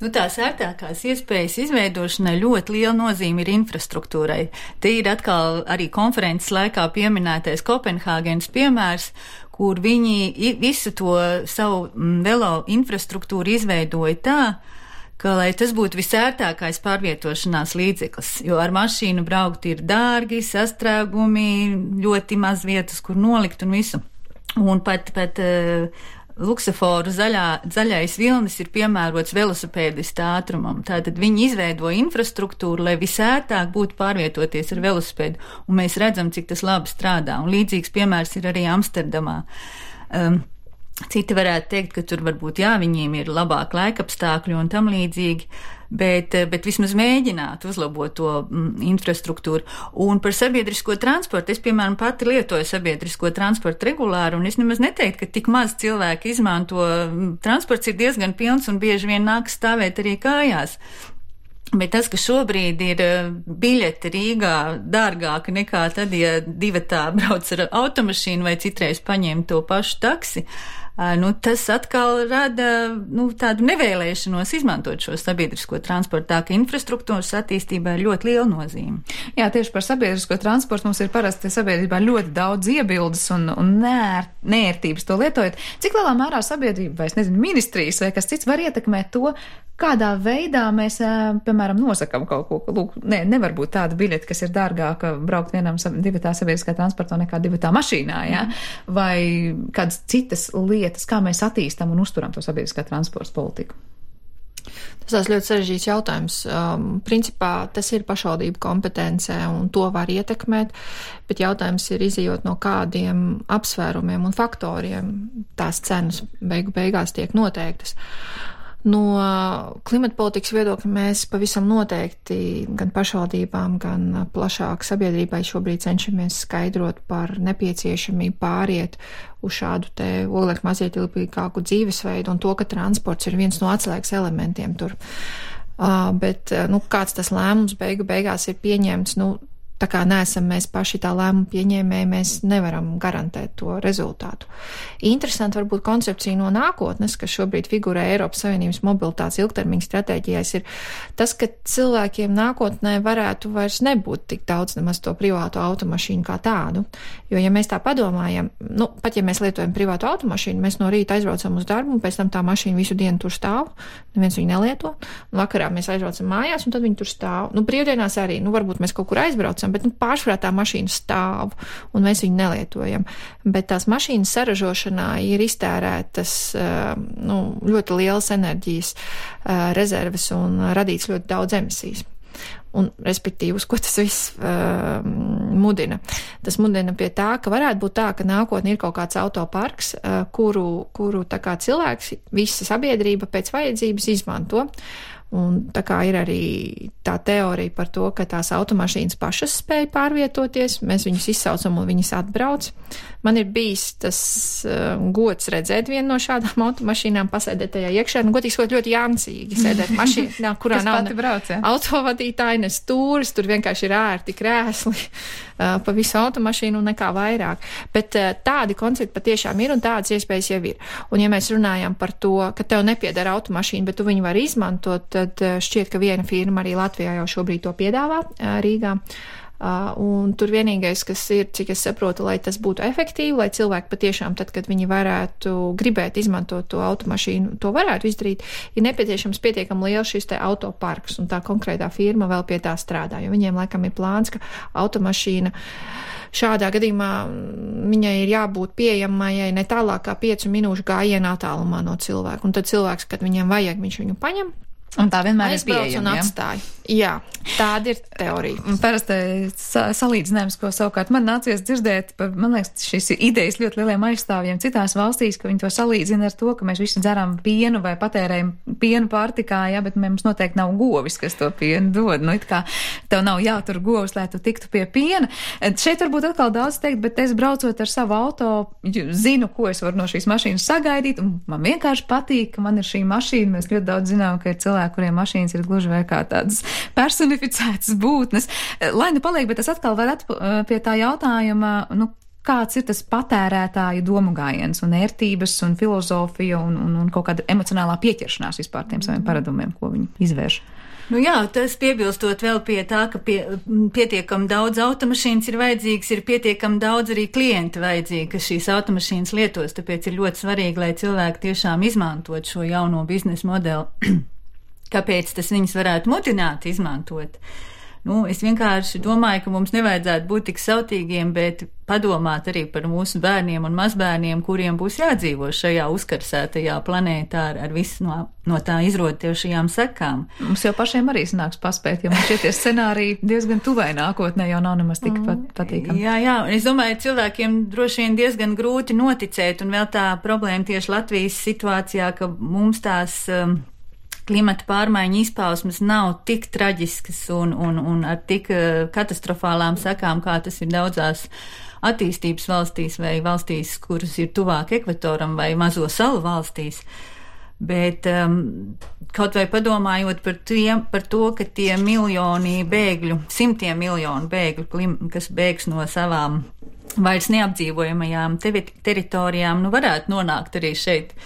Tās ērtākās iespējas izveidošanai ļoti liela nozīme ir infrastruktūrai. Te ir atkal arī konferences laikā pieminētais Kopenhāgenes piemērs, kur viņi visu to savu velo infrastruktūru izveidoja tā, ka, lai tas būtu visērtākais pārvietošanās līdzeklis, jo ar mašīnu braukt ir dārgi, sastrēgumi, ļoti maz vietas, kur nolikt un visu. Un pat luksuforu zaļais vilnis ir piemērots velosipēdista ātrumam. Tātad viņi izveido infrastruktūru, lai visērtāk būtu pārvietoties ar velosipēdu, un mēs redzam, cik tas labi strādā. Un līdzīgs piemērs ir arī Amsterdamā. Citi varētu teikt, ka tur varbūt, viņiem ir labāk laikapstākļi un tam līdzīgi, bet vismaz mēģināt uzlabot to infrastruktūru. Un par sabiedrisko transportu, es, piemēram, pati lietoju sabiedrisko transportu regulāri, un es nemaz neteiktu, ka tik maz cilvēki izmanto. Transports ir diezgan pilns un bieži vien nāk stāvēt arī kājās. Bet tas, ka šobrīd ir biļete Rīgā dārgāka nekā tad, ja divatā brauc ar automašīnu vai citreiz paņem to pašu taksi, tas atkal rada tādu nevēlēšanos izmantot šo sabiedrisko transportu, tā ka infrastruktūras attīstībā ir ļoti liela nozīme. Jā, tieši par sabiedrisko transportu mums ir parasti sabiedrībā ļoti daudz iebildes un neērtības to lietojot. Cik lielā mērā sabiedrība, vai es nezinu, ministrijas vai kas cits var ietekmēt to, kādā veidā mēs, piemēram, nosakam kaut ko, lūk, nevar būt tāda biļete, kas ir dārgāka braukt divatā sabiedriskā transportā nekā divatā mašīnā, vai kādas citas lietas, kā mēs attīstam un uzturam to sabiedriskā transporta politiku? Tas ļoti sarežģīts jautājums. Principā tas ir pašvaldību kompetencē un to var ietekmēt, bet jautājums ir izejot no kādiem apsvērumiem un faktoriem tās cenas beigās tiek noteiktas. No klimata politikas viedokļa mēs pavisam noteikti gan pašvaldībām, gan plašāk sabiedrībai šobrīd cenšamies skaidrot par nepieciešamību pāriet uz šādu te oglekļa mazietilpīgāku dzīvesveidu un to, ka transports ir viens no atslēgas elementiem tur. Bet, kāds tas lēmums beigās ir pieņemts, tā kā neesam mēs paši tā lēmuma pieņēmēji, mēs nevaram garantēt to rezultātu. Interesanti varbūt koncepcija no nākotnes, kas šobrīd figurē Eiropas Savienības mobilitātes ilgtermiņa stratēģijās, ir tas, ka cilvēkiem nākotnē varētu vairs nebūt tik daudz nemaz to privāto automašīnu kā tādu. Jo, ja mēs tā padomājam, pat ja mēs lietojam privāto automašīnu, mēs no rīta aizbraucam uz darbu un pēc tam tā mašīna visu dienu tur stāv, neviens viņu nelieto, un vakarā mēs aizbraucam mājās un tad viņi tur stāv. Brīvdienās arī, varbūt mēs kaut kur aizbraucam, bet pārsvarā tā mašīna stāv un mēs viņu nelietojam. Bet tās mašīnas saražošanā ir iztērētas ļoti lielas enerģijas rezerves un radīts ļoti daudz emisijas. Un, respektīvi, uz ko tas viss mudina? Tas mudina pie tā, ka varētu būt tā, ka nākotnē ir kaut kāds autoparks, kuru tā kā cilvēks, visa sabiedrība pēc vajadzības izmanto. Un tā kā ir arī tā teorija par to, ka tās automašīnas pašas spēj pārvietoties, mēs viņus izsaucam un viņas atbrauc. Man ir bijis tas gods redzēt vienu no šādām automašīnām, pasēdēt tajā iekšā, godīgi sakot, ļoti jancīgi sēdēt mašīnā, kurā nav autovadītāji, ne stūris, tur vienkārši ir ērti krēsli pa visu automašīnu un nekā vairāk. Bet tādi koncepti patiešām ir un tādas iespējas jau ir. Un ja mēs runājam par to, ka tev nepiedara automašīna, bet tu viņu vari izmantot, tad šķiet, ka viena firma arī Latvijā jau šobrīd to piedāvā Rīgā. Un tur vienīgais, kas ir, cik es saprotu, lai tas būtu efektīvi, lai cilvēki patiešām tad, kad viņi varētu gribēt izmantot to automašīnu, to varētu izdarīt, ir nepieciešams pietiekami liels šis te autoparks, un tā konkrētā firma vēl pie tā strādā, jo viņiem laikam ir plāns, ka automašīna šādā gadījumā viņai ir jābūt pieejamai ne tālāk kā 5 minūšu gājienā attālumā no cilvēka, un tad cilvēks, kad viņam vajag, viņš viņu paņem. Un tā vienmēr ir pieejama. Jā, tāda ir teorija. Parasti salīdzinājums, ko savukārt man nācies dzirdēt, man liekas, šis idejas ļoti lieliem aizstāvjiem citās valstīs, ka viņi to salīdzina ar to, ka mēs visi dzeram pienu vai patērējam pienu pārtikā, bet mums noteikti nav govis, kas to pienu dod. It kā tev nav jātur govis, lai tu tiktu pie piena. Šeit varbūt atkal daudz teikt, bet es braucot ar savu auto, zinu, ko es varu no šīs mašīnas sagaidīt, un man vienkārši patīk, ka man ir šī mašīna. Mēs ļoti daudz zinām, ka ir cilvēki, kuriem mašīnas ir gluži vai kā tādas personificētas būtnes. Lai paliek, bet es atkal varu pie tā jautājuma, kāds ir tas patērētāju domu gājiens un ērtības un filozofija un kaut kāda emocionālā pieķeršanās vispār tiem saviem paradumiem, ko viņi izvērš. Tas piebilstot vēl pie tā, ka pietiekam daudz automašīnas ir vajadzīgs, ir pietiekam daudz arī klienti vajadzīgi, kas šīs automašīnas lietos, tāpēc ir ļoti svarīgi, lai cilvēki tiešām izmantot šo jauno biznesa modeli. Kāpēc tas viņus varētu mudināt izmantot? Es vienkārši domāju, ka mums nevajadzētu būt tik sautīgiem, bet padomāt arī par mūsu bērniem un mazbērniem, kuriem būs jādzīvo šajā uzkarsētajā planētā ar visu no tā izrotošajām sekām. Mums jau pašiem arī sanāks paspēt, jo mums šie scenāriji diezgan tuvai nākotnē jau nav nemaz tik patīkami. Jā, un es domāju, cilvēkiem droši vien diezgan grūti noticēt, un vēl tā problēma tieši Latvijas situācijā, ka mums tās klimata pārmaiņu izpausmes nav tik traģiskas un ar tik katastrofālām sekām, kā tas ir daudzās attīstības valstīs vai valstīs, kuras ir tuvāk ekvatoram vai mazo salu valstīs. Bet kaut vai padomājot par to, ka tie miljoni bēgļu, simtiem miljonu bēgļu, kas bēgs no savām vairs neapdzīvojamajām teritorijām, varētu nonākt arī šeit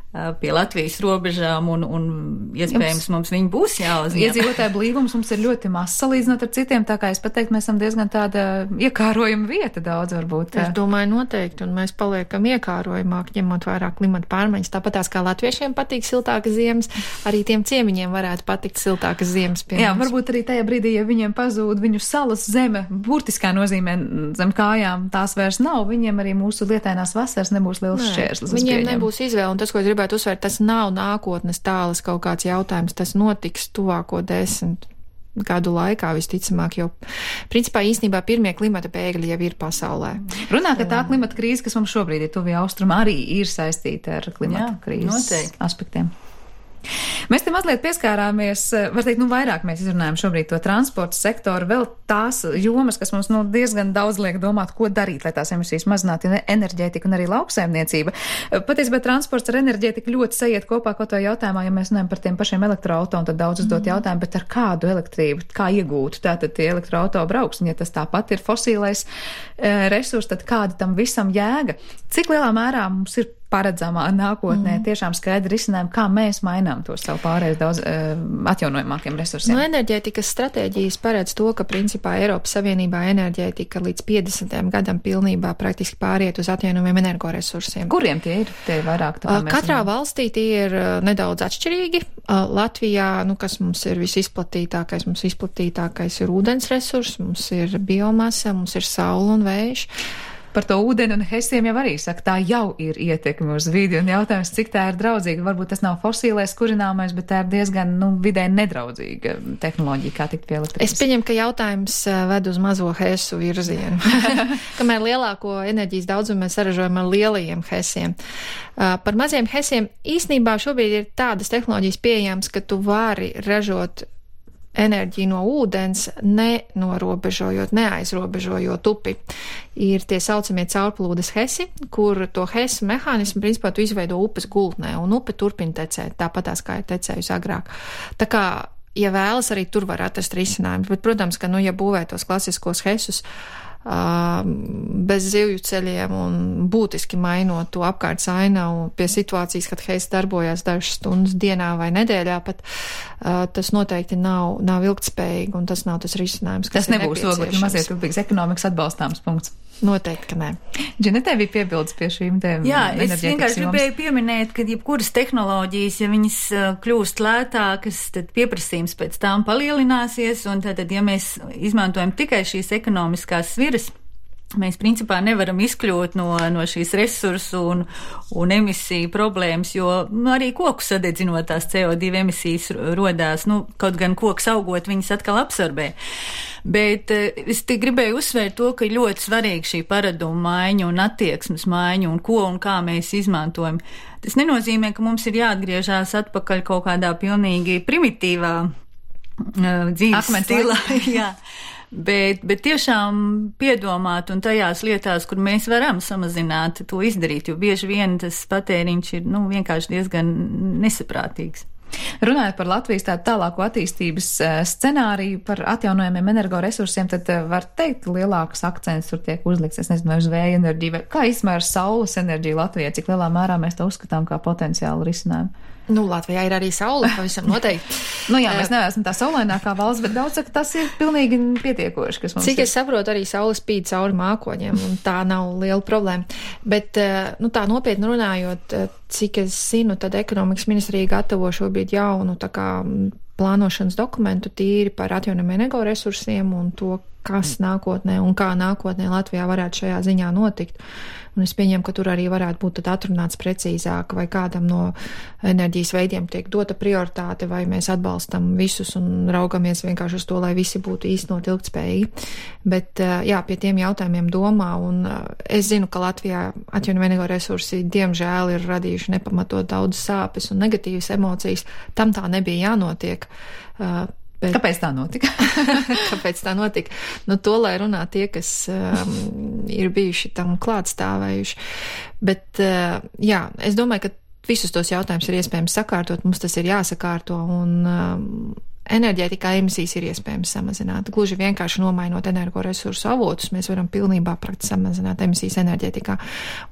pie Latvijas robežām un iespējams mums viņi būs jāuzņem. Iedzīvotāju blīvums mums ir ļoti mazs salīdzinot ar citiem, tā kā es pateiktu, mēs esam diezgan tāda iekārojama vieta daudz varbūt. Es domāju noteikti, un mēs paliekam iekārojamāk, ņemot vairāk klimata pārmaiņas. Tāpatās kā latviešiem patīk siltākas ziemas, arī tiem ciemiņiem varētu patikt siltākas ziemas pie mums. Jā, varbūt arī tajā brīdī, ja viņiem pazūd viņu salas zeme, burtiskā nozīmē zem kājām, tās vairs nav, viņiem arī mūsu lietainās vasaras nebūs liels šķērslis. Viņiem nebūs izvēle, un tas, ko gribētu uzsvērt, tas nav nākotnes tālas kaut kāds jautājums, tas notiks tuvāko 10 gadu laikā visticamāk, jo principā īstenībā pirmie klimata bēgļi jau ir pasaulē. Runā, ka tā klimata krīze, kas mums šobrīd ir tuvie austrumi, arī ir saistīta ar klimata krīzes aspektiem. Mēs te mazliet pieskārāmies, var teikt, vairāk mēs izrunājam šobrīd to transporta sektoru, vēl tās jomas, kas mums diezgan daudz liek domāt, ko darīt, lai tās emisijas mazinātu, enerģētika un arī lauksaimniecība. Patiesībā transports ar enerģētiku ļoti sajiet kopā kaut vai jautājumā, ja mēs runājam par tiem pašiem elektroauto, un tad daudz uzdot jautājumu, bet ar kādu elektrību, kā iegūt, tātad tie elektroauto brauks, un ja tas tāpat ir fosīlais resurs, tad kāda tam visam jēga? Cik lielā mērā mums ir paredzamā nākotnē tiešām skaidri risinājumi, kā mēs mainām to savu pārējais daudz atjaunojamākiem resursiem. Enerģētikas stratēģijas paredz to, ka principā Eiropas Savienībā enerģētika līdz 50. gadam pilnībā praktiski pāriet uz atjaunojumiem energoresursiem. Kuriem tie ir? Tie ir vairāk tā mēs katrā valstī tie ir nedaudz atšķirīgi. Latvijā, kas mums ir visizplatītākais, mums izplatītākais ir ūdens resurs, mums ir biomasa, mums ir saule un vējš. Par to ūdeni un hesiem jau arī saka, tā jau ir ietekme uz vidi, un jautājums, cik tā ir draudzīga. Varbūt tas nav fosīlais kurināmais, bet tā ir diezgan, vidē nedraudzīga tehnoloģija, kā tikt pie elektrības. Es pieņemu, ka jautājums ved uz mazo hesu virzienu. Kamēr lielāko enerģijas daudzumu mēs saražojam ar lielajiem hesiem. Par maziem hesiem īstenībā šobrīd ir tādas tehnoloģijas pieejams, ka tu vari ražot enerģiju no ūdens, neaizrobežojot upi. Ir tie saucamie caurplūdes hesi, kur to hesu mehānismu, principā, tu izveido upes gultnē, un upe turpina tecēt, tāpatās kā ir tecējusi agrāk. Tā kā, ja vēlas, arī tur var atrast risinājumus, bet, protams, ka, ja būvē tos klasiskos hesus, bez zivju ceļiem un būtiski mainot to apkārt ainavu pie situācijas, kad heis darbojās dažas stundas dienā vai nedēļā, pat tas noteikti nav ilgtspējīgi, un tas nav tas risinājums, kas tas nebūs oglekļa mazietilpīgas ekonomikas atbalstāms punkts. Noteikti, ka nē. Džinetē bija piebildes pie šīm tēmām. Jā, es vienkārši gribēju pieminēt, ka jebkuras tehnoloģijas, ja viņas kļūst lētākas, tad pieprasījums pēc tām palielināsies, un tad, ja mēs izmantojam tikai šīs ekonomiskās sviras, mēs principā nevaram izkļūt no šīs resursu un emisiju problēmas, jo arī koku sadedzinot tās CO2 emisijas rodās, kaut gan koks augot, viņas atkal absorbē. Bet es te gribēju uzsvērt to, ka ļoti svarīgi šī paraduma maiņa un attieksmes maiņa un ko un kā mēs izmantojam. Tas nenozīmē, ka mums ir jāatgriežās atpakaļ kaut kādā pilnīgi primitīvā dzīves stilā. Jā. Bet tiešām piedomāt un tajās lietās, kur mēs varam samazināt, to izdarīt, jo bieži vien tas patēriņš ir vienkārši diezgan nesaprātīgs. Runājot par Latvijas tādu tālāko attīstības scenāriju par atjaunojumiem energoresursiem, tad var teikt, lielāks akcents tur tiek uzlikts, es nezinu, vai uz vēja enerģiju, vai kā izmēr saules enerģiju Latvijā, cik lielā mērā mēs to uzskatām kā potenciālu risinājumu. Latvijā ir arī saule, pavisam noteikti. Jā, mēs neesam tā saulainākā valsts, bet daudz saka, tas ir pilnīgi pietiekoši, kas mums Cik es saprotu, arī saule spīd cauri mākoņiem, un tā nav liela problēma. Bet, tā nopietni runājot, cik es zinu, tad ekonomikas ministrija gatavo šobrīd jaunu, tā kā plānošanas dokumentu tīri par atjaunojamiem energoresursiem un to, kas nākotnē un kā nākotnē Latvijā varētu šajā ziņā notikt. Un es pieņemu, ka tur arī varētu būt tad atrunāts precīzāk, vai kādam no enerģijas veidiem tiek dota prioritāte, vai mēs atbalstam visus un raugamies vienkārši uz to, lai visi būtu īstenot ilgtspējīgi. Bet, jā, pie tiem jautājumiem domā, un es zinu, ka Latvijā atjaunojamie energoresursi diemžēl ir radījuši nepamatot daudz sāpes un negatīvas emocijas. Tam tā nebija jānotiek. Bet kāpēc tā notika? Kāpēc tā notika? Nu, to, lai runā tie, kas ir bijuši tam klātstāvējuši. Bet, jā, es domāju, ka visus tos jautājumus ir iespējams sakārtot, mums tas ir jāsakārto, un enerģētikā emisijas ir iespējams samazināt. Gluži vienkārši nomainot energoresursu avotus, mēs varam pilnībā praktiski samazināt emisijas enerģētikā.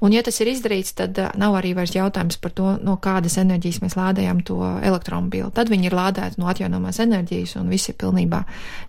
Un, ja tas ir izdarīts, tad nav arī vairs jautājums par to, no kādas enerģijas mēs lādējam to elektromobīlu. Tad viņi ir lādēti no atjaunojamās enerģijas un visi ir pilnībā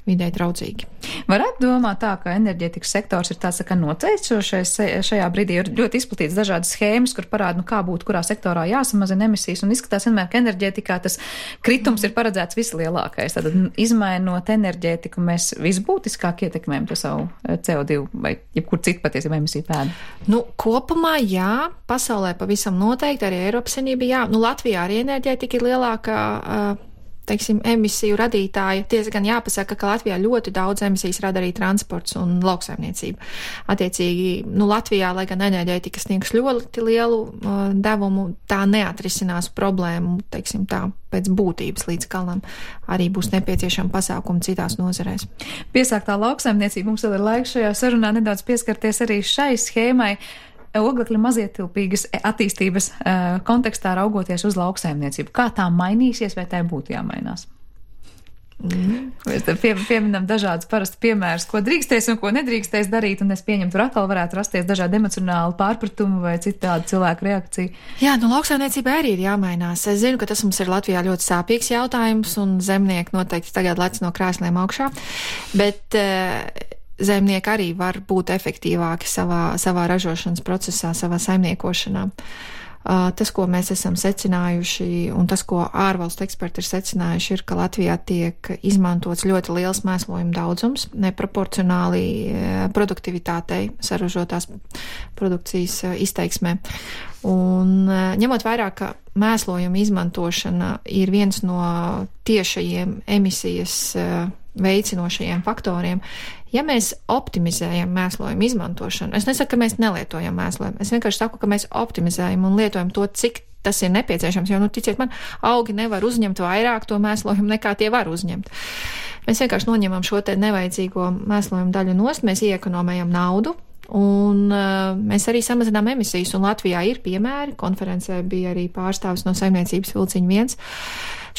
vidē draudzīgi. Varētu domāt tā, ka enerģētikas sektors ir tāds, ka noteicošais šajā brīdī ir ļoti izplatīts dažādas schēmas, kur parāda, kā būtu, kurā sektorā jāsamazina emisijas, un izskatās vienmēr, ka enerģētikā tas kritums ir paredzēts vislielākais. Tad, izmainot enerģētiku, mēs visbūtiskāk ietekmējam to savu CO2 vai jebkur citu patiesībā emisiju pēdu. Nu, kopumā jā, pasaulē pavisam noteikti, arī Eiropas Savienībā jā. Nu, Latvijā arī enerģētika ir lielākā, teiksim, emisiju radītāja. Tiesa gan jāpasaka, ka Latvijā ļoti daudz emisijas rada arī transports un lauksaimniecība. Attiecīgi, nu, Latvijā, lai gan enerģētika sniegs ļoti lielu devumu, tā neatrisinās problēmu, teiksim tā, pēc būtības līdz galam. Arī būs nepieciešama pasākuma citās nozarēs. Piesāktā lauksaimniecība, mums vēl ir laiks šajā sarunā nedaudz pieskarties arī šai schēmai. Oglekļa mazietilpīgas attīstības kontekstā raugoties uz lauksaimniecību. Kā tā mainīsies, vai tai būtu jāmainās? Mēs te pieminam dažādus parasti piemērus, ko drīkstēs un ko nedrīkstēs darīt, un es pieņemu, tur atkal varētu rasties dažādi emocionāli pārpratumi vai citādi cilvēku reakcija. Jā, nu lauksaimniecībai arī ir jāmainās. Es zinu, ka tas mums ir Latvijā ļoti sāpīgs jautājums, un zemnieki noteikti tagad lec no krēsliem augšā, bet zemnieki arī var būt efektīvāki savā ražošanas procesā, savā saimniekošanā. Tas, ko mēs esam secinājuši, un tas, ko ārvalstu eksperti ir secinājuši, ir, ka Latvijā tiek izmantots ļoti liels mēslojuma daudzums, neproporcionāli produktivitātei saražotās produkcijas izteiksmē. Un ņemot vērā, ka mēslojuma izmantošana ir viens no tiešajiem emisijas veicinošajiem faktoriem, ja mēs optimizējam mēslojumu izmantošanu, es nesaku, ka mēs nelietojam mēslojumu, es vienkārši saku, ka mēs optimizējam un lietojam to, cik tas ir nepieciešams, jo, nu, ticiet man, augi nevar uzņemt vairāk to mēslojumu, nekā tie var uzņemt. Mēs vienkārši noņemam šo te nevajadzīgo mēslojumu daļu nost, mēs iekonomējam naudu, un mēs arī samazinām emisijas, un Latvijā ir piemēri, konferencē bija arī pārstāvis no saimniecības Vilciņa 1,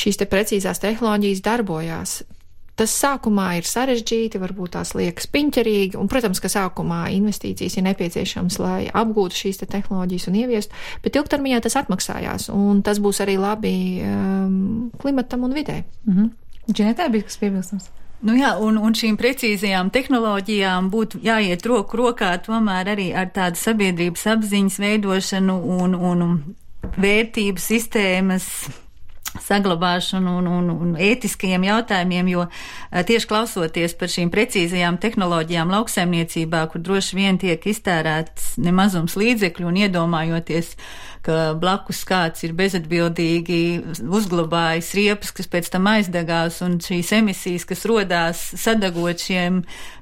šīs te precīzās tehnoloģijas darbojās. Tas sākumā ir sarežģīti, varbūt tās liekas piņķerīgi, un, protams, ka sākumā investīcijas ir nepieciešams, lai apgūtu šīs te tehnoloģijas un ieviestu, bet ilgtermiņā tas atmaksājās, un tas būs arī labi klimatam un vidē. Džinetē bija kas piebilstams? Nu jā, un šīm precīzajām tehnoloģijām būtu jāiet roku rokā tomēr arī ar tādu sabiedrības apziņas veidošanu un vērtību sistēmas saglabāšanu un ētiskajiem jautājumiem, jo tieši klausoties par šīm precīzajām tehnoloģijām lauksaimniecībā, kur droši vien tiek iztērēts nemazums līdzekļu un iedomājoties, ka blakus kāds ir bezatbildīgi uzglabājis riepas, kas pēc tam aizdegās, un šīs emisijas, kas rodās sadagot šiem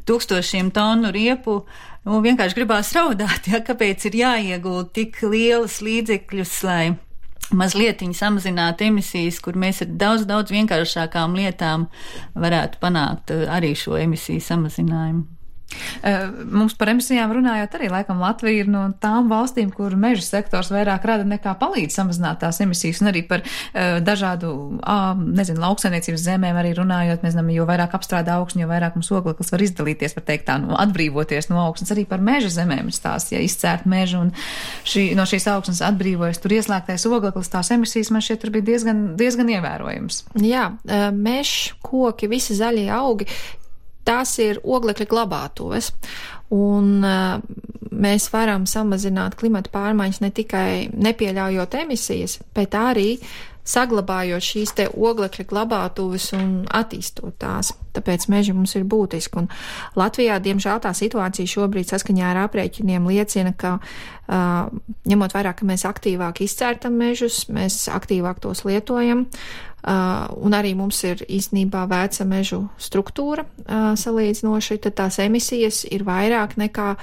1000 tonu riepu, nu, vienkārši gribās raudāt, ja, kāpēc ir jāiegūt tik lielas līdzekļus, lai mazlietiņi samazināt emisijas, kur mēs ar daudz vienkāršākām lietām varētu panākt arī šo emisiju samazinājumu. Mums par emisijām runājot arī, laikam Latvija ir no tām valstīm, kur meža sektors vairāk rada nekā palīdz samazināt tās emisijas, un arī par dažādu, lauksaimniecības zemēm arī runājot, mēs zinām, jo vairāk apstrādā augsni, jo vairāk mums ogleklis var izdalīties, var teikt tā, atbrīvoties no augsnes, arī par meža zemēm ir stāsts, ja izcērt mežu un no šīs augsnes atbrīvojas, tur ieslēgtais ogleklis, tās emisijas man šķiet tur bija diezgan ievērojams. Jā, mežs, koki, visi zaļie augi, tās ir oglekļa glabātuves, un mēs varam samazināt klimata pārmaiņas ne tikai nepieļaujot emisijas, bet arī saglabājot šīs te oglekļa glabātuves un attīstot tās. Tāpēc meži mums ir būtiski. Un Latvijā, diemžēl, tā situācija šobrīd saskaņā ar aprēķiniem liecina, ka ņemot vērā, ka mēs aktīvāk izcērtam mežus, mēs aktīvāk tos lietojam, un arī mums ir īstenībā veca mežu struktūra salīdzinoši, tad tās emisijas ir vairāk nekā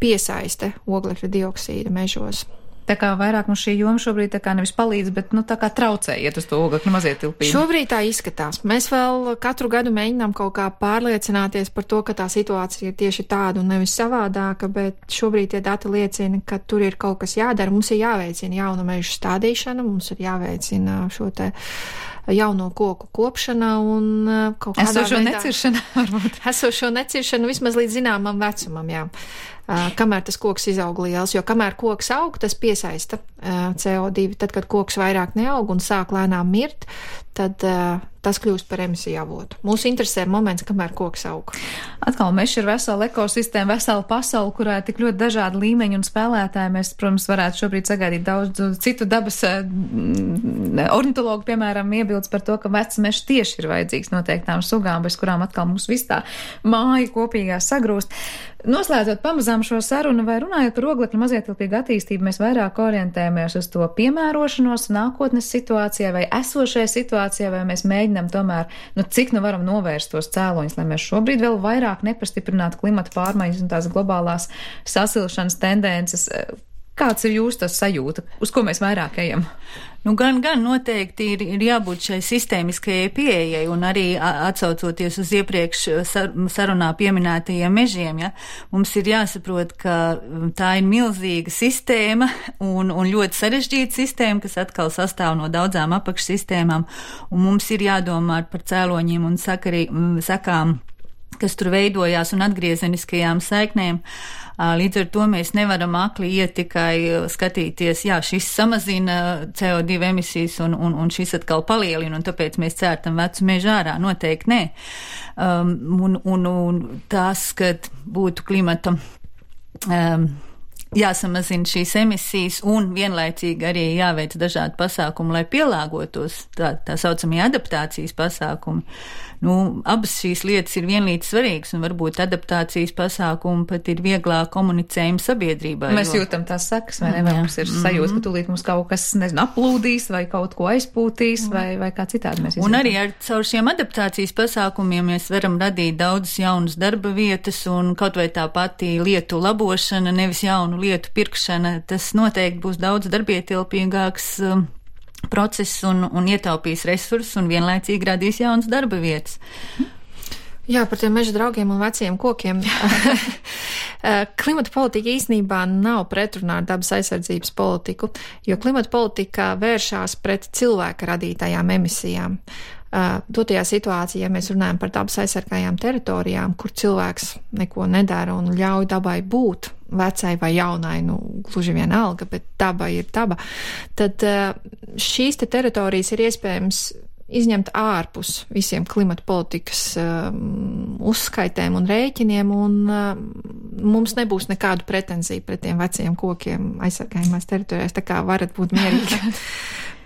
piesaiste oglekļa dioksīda mežos. Tā kā vairāk mums šī joma šobrīd tā kā nevis palīdz, bet tā kā traucē iet uz to oglekļa mazietilpību. Šobrīd tā izskatās. Mēs vēl katru gadu mēģinām kaut kā pārliecināties par to, ka tā situācija ir tieši tāda un nevis savādāka, bet šobrīd tie dati liecina, ka tur ir kaut kas jādara. Mums ir jāveicina jaunu mežu stādīšana, mums ir jāveicina šo te jauno koku kopšana un kaut kādā esošo veidā neciršana, varbūt. Esošo neciršanu vismaz līdz zināmam vecumam, jā. Kamēr tas koks izaug liels, jo kamēr koks aug, tas piesaista CO2. Tad, kad koks vairāk neaug un sāk lēnām mirt, tad tas kļūst par emisiju avotu. Mūsu interesē ir moments, kamēr koks aug. Atkal mežs ir vesela ekosistēma, vesela pasaule, kurā ir tik ļoti dažādi līmeņi un spēlētāji. Mēs, protams, varētu šobrīd sagaidīt daudz citu dabas ornitologu, piemēram, iebildes par to, ka vecs mežs tieši ir vajadzīgs noteiktām sugām, bez kurām atkal mums viss tā māja kopīgā sagrūst. Noslēdzot pamazām šo sarunu vai runājot par oglekļa mazietilpīgu attīstību, mēs vairāk orientējamies uz to piemērošanos nākotnes situācijā vai esošajā situācijā, vai mēs mēģinām tomēr, cik varam novērst tos cēloņus, lai mēs šobrīd vēl vairāk nepastiprinātu klimata pārmaiņas un tās globālās sasilšanas tendences. Kāds ir jūsu tas sajūta? Uz ko mēs vairāk ejam? Gan noteikti ir jābūt šai sistēmiskajai pieejai un arī atsaucoties uz iepriekš sarunā pieminētajiem mežiem, ja, mums ir jāsaprot, ka tā ir milzīga sistēma un ļoti sarežģīta sistēma, kas atkal sastāv no daudzām apakšsistēmām, un mums ir jādomā par cēloņiem un sakām, kas tur veidojās un atgriezeniskajām saiknēm. Līdz ar to mēs nevaram akli iet tikai skatīties, jā, šis samazina CO2 emisijas un šis atkal palielina, un tāpēc mēs cērtam vecu mežu ārā. Noteikti nē. Un tas, kad būtu klimata jāsamazina šīs emisijas un vienlaicīgi arī jāveic dažādi pasākumi, lai pielāgotos tā saucamie adaptācijas pasākumi. Abas šīs lietas ir vienlīdz svarīgas, un varbūt adaptācijas pasākumi pat ir vieglāk komunicējumi sabiedrībā. Mēs jūtam tās sekas, vai ne? Vai mums ir sajūta, ka tūlīt mums kaut kas, aplūdīs, vai kaut ko aizpūtīs, vai kā citādi mēs izjūtam. Un arī caur šiem adaptācijas pasākumiem mēs varam radīt daudzas jaunas darba vietas, un kaut vai tā pati lietu labošana, nevis jaunu lietu pirkšana, tas noteikti būs daudz darbietilpīgāks process un ietaupīs resursus un vienlaicīgi radīs jaunas darba vietas. Jā, par tiem meža draugiem un veciem kokiem. Klimata politika īstenībā nav pretrunā ar dabas aizsardzības politiku, jo klimata politika vēršās pret cilvēka radītajām emisijām. Dotajā situācijā, ja mēs runājam par dabas aizsargājām teritorijām, kur cilvēks neko nedara un ļauj dabai būt vecai vai jaunai, gluži vienalga, bet daba ir daba, tad šīs te teritorijas ir iespējams izņemt ārpus visiem klimata politikas uzskaitēm un rēķiniem, un mums nebūs nekādu pretenziju pret tiem veciem kokiem aizsargājumās teritorijās, tā kā varat būt mierīgi.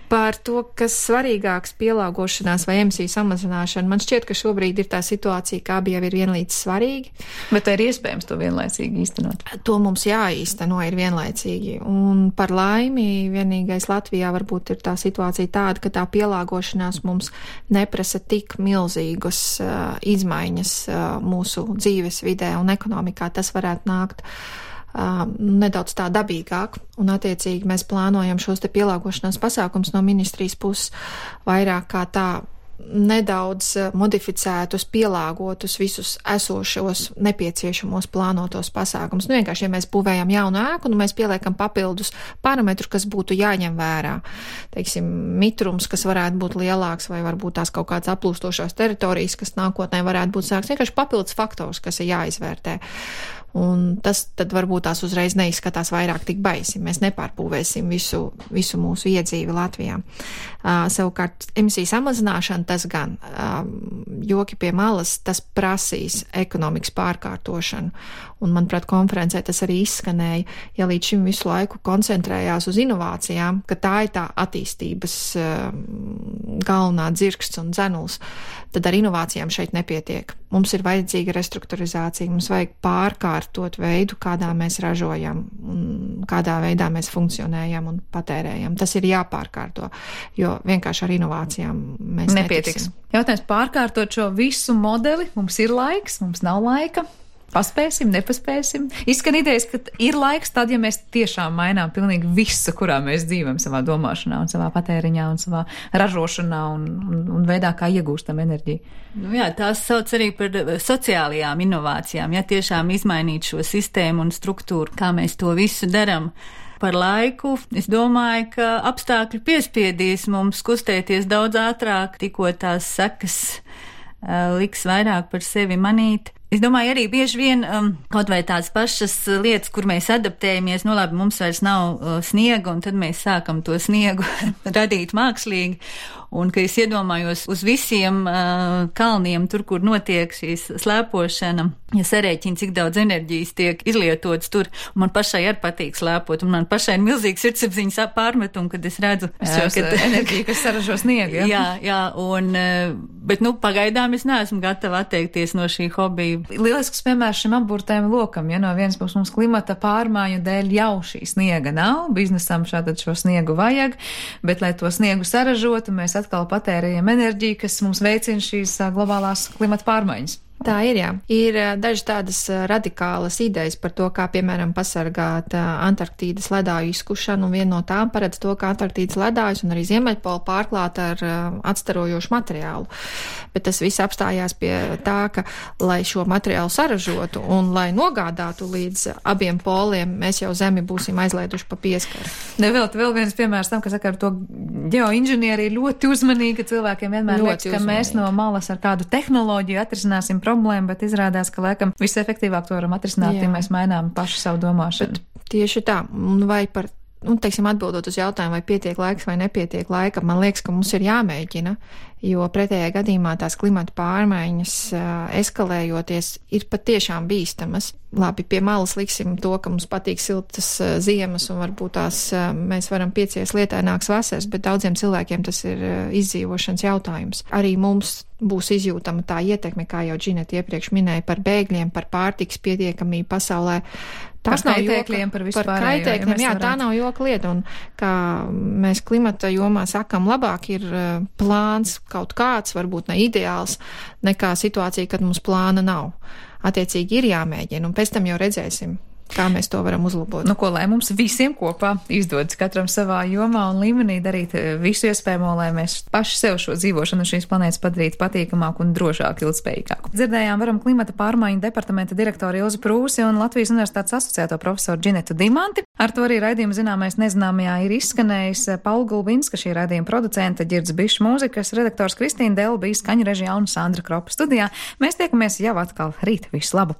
Par to, kas svarīgāks pielāgošanās vai emisiju samazināšana, man šķiet, ka šobrīd ir tā situācija, ka abi jau ir vienlīdz svarīgi. Bet ir iespējams to vienlaicīgi īstenot? To mums jāīsteno ir vienlaicīgi. Un par laimi vienīgais Latvijā varbūt ir tā situācija tāda, ka tā pielāgošanās mums neprasa tik milzīgas izmaiņas mūsu dzīves vidē un ekonomikā. Tas varētu nākt nedaudz tā dabīgāk, un attiecīgi mēs plānojam šos te pielāgošanās pasākums no ministrijas puses vairāk kā tā nedaudz modificētus, pielāgotus visus esošos nepieciešamos plānotos pasākums. Vienkārši, ja mēs būvējam jaunu ēku, mēs pieliekam papildus parametru, kas būtu jāņem vērā. Teiksim, mitrums, kas varētu būt lielāks, vai varbūt tās kaut kāds aplūstošās teritorijas, kas nākotnē varētu būt sāks. Vienkārši papildus faktors, kas ir jāizvērtē. Un tas tad varbūt tās uzreiz neizskatās vairāk tik baisi. Mēs nepārbūvēsim visu mūsu iedzīvi Latvijā. Savukārt emisiju samazināšana tas gan. Joki pie malas, tas prasīs ekonomikas pārkārtošanu. Un, manuprāt, konferencē tas arī izskanēja, ja līdz šim visu laiku koncentrējās uz inovācijām, ka tā ir tā attīstības galvenā dzirksts un dzenuls, tad ar inovācijām šeit nepietiek. Mums ir vajadzīga restruktūrizācija, mums vajag pārkārtot veidu, kādā mēs ražojam, kādā veidā mēs funkcionējam un patērējam. Tas ir jāpārkārto, jo vienkārši ar inovācijām mēs nepietiks. Jautājums pārkārtot šo visu modeli, mums ir laiks, mums nav laika. Paspēsim, nepaspēsim. Izskan idejas, ka ir laiks tad, ja mēs tiešām mainām pilnīgi visu, kurā mēs dzīvojam savā domāšanā un savā patēriņā un savā ražošanā un veidā, kā iegūstam enerģiju. Jā, tās sauc arī par sociālajām inovācijām. Ja tiešām izmainīt šo sistēmu un struktūru, kā mēs to visu daram par laiku, es domāju, ka apstākļi piespiedīs mums kustēties daudz ātrāk, tikko tās sekas liks vairāk par sevi manīt. Es domāju, arī bieži vien kaut vai tādas pašas lietas, kur mēs adaptējamies, labi, mums vairs nav sniega, un tad mēs sākam to sniegu radīt mākslīgi. Un, ka es iedomājos uz visiem kalniem, tur, kur notiek šīs slēpošana, ja sarēķina, cik daudz enerģijas tiek izlietotas tur, un man pašai arī patīk slēpot, un man pašai ir milzīgs sirdsapziņas pārmetumi, kad es redzu enerģiju, kas saražo sniegu. Jā, un, bet, pagaidām es neesmu gatava atteikties no šī hobija. Lielisks piemērs šim apburtajam lokam, ja no vienas puses mums klimata pārmaiņu dēļ jau šī sniega nav, biznesam šādi šo sniegu vajag, bet, lai to sniegu saražotu, mēs atkal patērējam enerģiju, kas mums veicina šīs globālās klimata pārmaiņas. Tā ir, jā. Ir dažas tādas radikālas idejas par to, kā, piemēram, pasargāt Antarktīdas ledāju izkušanu, un viena no tām paredz to, ka Antarktīdas ledājus un arī Ziemeļpola pārklāt ar atstarojošu materiālu. Bet tas viss apstājās pie tā, ka, lai šo materiālu saražotu un lai nogādātu līdz abiem poliem, mēs jau Zemi būsim aizlieduši pa pieskaru. Vēl viens piemērs tam, ka saka, ar to ģeoinženieri ir ļoti uzmanīgi, ka cilvēkiem vienmēr liekas, ka mēs no malas ar kādu tehnoloģiju atrisināsim problēma, bet izrādās, ka laikam visefektīvāk to varam atrisināt, ja mēs mainām paši savu domāšanu. Bet tieši tā, vai par, atbildot uz jautājumu, vai pietiek laiks vai nepietiek laika, man liekas, ka mums ir jāmēģina, jo pretējā gadījumā tās klimata pārmaiņas eskalējoties ir patiešām bīstamas. Labi, pie malas liksim to, ka mums patīk siltas ziemas un varbūt tās mēs varam piecies lietaināks vasaras, bet daudziem cilvēkiem tas ir izdzīvošanas jautājums. Arī mums būs izjūtama tā ietekme, kā jau Džineta iepriekš minēja, par bēgļiem, par pārtikas pietiekamību pasaulē. Par kaitēkļiem, par vispārējo. Jā, tā nav joka lieta, un kā mēs klimata jomā sakam, labāk ir plāns kaut kāds, varbūt ne ideāls, nekā situācija, kad mums plāna nav. Attiecīgi ir jāmēģina, un pēc tam jau redzēsim, kā mēs to varam uzlabot. Lai mums visiem kopā izdodas katram savā jomā un līmenī darīt visu iespējamo, lai mēs paši sev šo dzīvošanu šīs planētas padarītu patīkamāku un drošāku, ilgspējīgāku. Dzirdējām varam klimata pārmaiņu departamenta direktoru Ilzi Prūsi un Latvijas Universitātes asociēto profesoru Džinetu Dimanti. Ar to arī raidījuma zināmais nezināmajā ir izskanējis Paula Gulbinska, šī raidījuma producente, Ģirds Bišs mūzikas, redaktors Kristīna Delba, skaņu režijā un Sandra Kropa studijā. Mēs tiekamies jau atkal rīt. Visu labu!